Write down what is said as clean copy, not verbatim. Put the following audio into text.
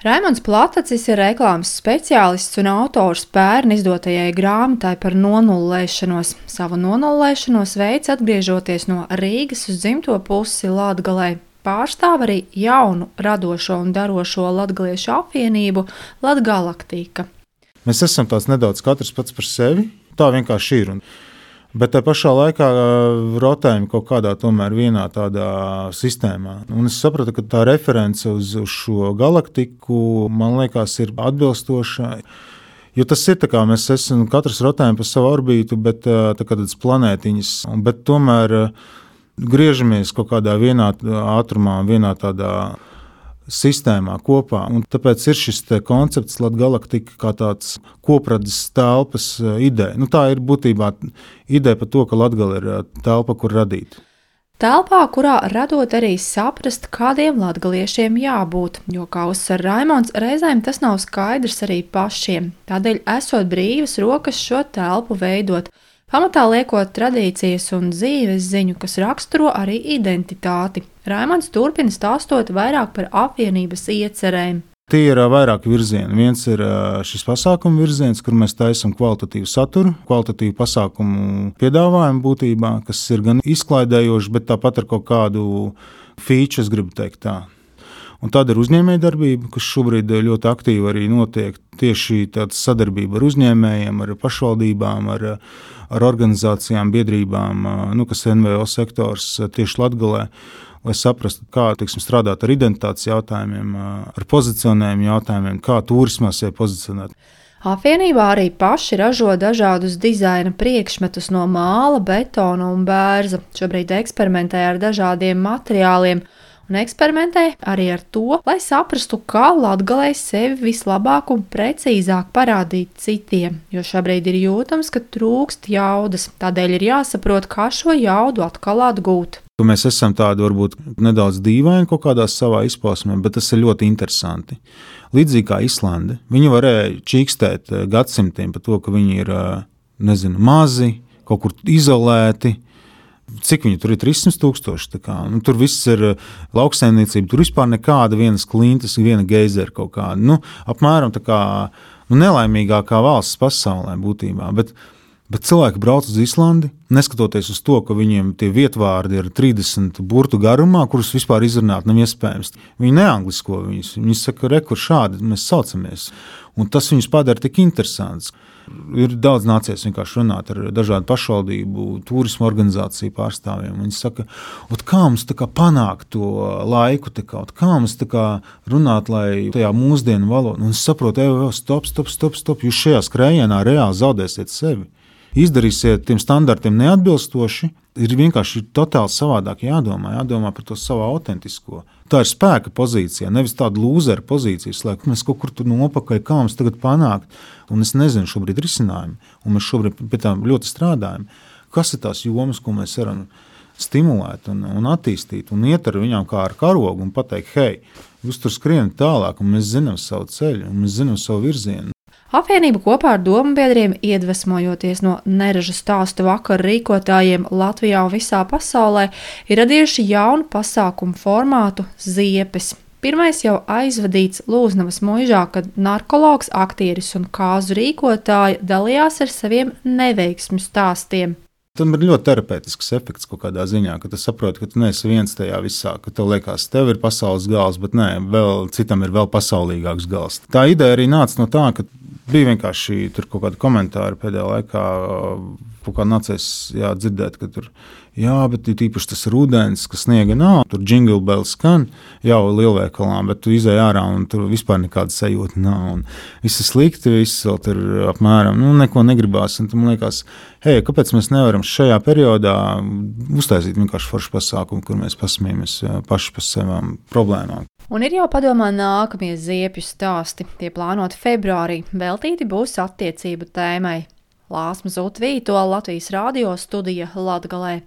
Raimonds Platacis ir reklāmas speciālists un autors pērn izdotajai grāmatai par nonullēšanos. Savu nonullēšanos veids atgriežoties no Rīgas uz dzimto pusi Latgalē. Pārstāv arī jaunu, radošo un darošo latgaliešu apvienību Latgalaktika. Mēs esam tāds nedaudz katrs pats par sevi, tā vienkārši ir. Bet tā pašā laikā rotējam kaut kādā tomēr vienā tādā sistēmā. Un es sapratu, ka tā reference uz šo galaktiku, man liekas, ir atbilstoša. Jo tas ir tā kā mēs esam, katrs rotējam pa savu orbītu, bet tā kā tādas planētiņas. Bet tomēr griežamies kaut kādā vienā ātrumā, vienā tādā sistēmā kopā. Un tāpēc ir šis koncepts Latgalaktika kā tāds kopradzes telpas ideja. Tā ir būtībā ideja par to, ka Latgale ir telpa, kur radīt. Telpā, kurā radot arī saprast, kādiem latgaliešiem jābūt, jo, kā uzsver Raimonds, reizēm tas nav skaidrs arī pašiem. Tādēļ esot brīvas rokas šo telpu veidot, pamatā liekot tradīcijas un dzīves ziņu, kas raksturo arī identitāti. Raimonds turpina stāstot vairāk par apvienības iecerēm. Tie ir vairāki virzieni. Viens ir šis pasākumu virziens, kur mēs taisam kvalitatīvu saturu, kvalitatīvu pasākumu piedāvājumu būtībā, kas ir gan izklaidējoši, bet tāpat ar kaut kādu feature, es gribu teikt tā. Un tāda ir uzņēmējdarbība, kas šobrīd ļoti aktīvi arī notiek. Tieši tāda sadarbība ar uzņēmējiem, ar pašvaldībām, ar organizācijām, biedrībām, kas ir NVO sektors tieši Latgalē, lai saprastu, kā strādāt ar identitātes jautājumiem, ar pozicionējumu jautājumiem, kā turismā sevi pozicionēt. Apvienībā arī paši ražo dažādus dizaina priekšmetus no māla, betona un bērza. Šobrīd eksperimentē ar dažādiem materiāliem. Un eksperimentē arī ar to, lai saprastu, kā Latgalē sevi vislabāk un precīzāk parādīt citiem, jo šobrīd ir jūtams, ka trūkst jaudas, tādēļ ir jāsaprot, kā šo jaudu atkal atgūt. Mēs esam tādi varbūt nedaudz dīvaini kaut kādā savā izpausmē, bet tas ir ļoti interesanti. Līdzīgi kā Islande, viņi varēja čīkstēt gadsimtiem par to, ka viņi ir, mazi, kaut kur izolēti. Cik viņi tur ir 300,000? Tur viss ir lauksaimniecība, tur vispār nekāda vienas klintas, viena geizera kaut kāda. Apmēram tā kā nelaimīgākā valsts pasaulē būtībā. Bet cilvēki brauc uz Islandi, neskatoties uz to, ka viņiem tie vietvārdi ir 30 burtu garumā, kurus vispār izrunāt nav iespējams. Viņi neanglisko viņus. Viņi saka, kur šādi mēs saucamies. Un tas viņus padara tik interesants. Ir daudz nācies vienkārši runāt ar dažādu pašvaldību, turismu organizāciju pārstāvjiem. Viņi saka, kā mums panākt to laiku, kā mums runāt, lai tajā mūsdienu valodā. Un es saprotu, stop, jūs šajā skrējienā reāli zaudēsiet sevi. Izdarīsiet tiem standartiem neatbilstoši, ir vienkārši totāli savādāk jādomā par to savu autentisko. Tā ir spēka pozīcija, nevis tāda lūzera pozīcija, lai mēs kaut kur tur nopakaļ, kā mums tagad panākt. Un es nezinu šobrīd risinājumu, un mēs šobrīd pie tām ļoti strādājam. Kas ir tās jomas, ko mēs varam stimulēt un attīstīt, un iet ar viņām kā ar karogu un pateikt, hei, jūs tur skrienat tālāk, un mēs zinām savu ceļu, un mēs zinām savu virzienu. Apvienība kopā ar dombiedriem, iedvesmojoties no neražu stāstu vakaru rīkotājiem Latvijā un visā pasaulē, ir radījuši jaunu pasākumu formātu Ziepes. Pirmais jau aizvadīts Lūznavas muižā, kad narkologs, aktieris un kāzu rīkotāji dalījās ar saviem neveiksmju stāstiem. Tam ir ļoti terapeitisks efekts kaut kādā ziņā, ka tu saproti, ka tu neesi viens tajā visā, ka tev liekas, tev ir pasaules gals, bet nē, citam ir vēl pasaulīgāks gals. Tā ideja arī nāca no tā, ka bija vienkārši tur kaut kādi komentāri pēdējā laikā, kaut kā nācies dzirdēt, ka tur, bet īpaši tas rudens, ka sniega nav, tur jingle bells skan jau lielveikalā, bet tu izej ārā un tur vispār nekāda sajūta nav. Un viss ir slikti, viss vēl tur apmēram, neko negribās. Un man liekas, kāpēc mēs nevaram šajā periodā uztaisīt vienkārši foršu pasākumu, kur mēs pasmiejamies paši par savām problēmām. Un ir jau padomā nākamie ziepju stāsti. Tie plānoti februārī, veltīti būs attiecību tēmai. Lāsma Zutvīto, Latvijas radio studija Latgalē.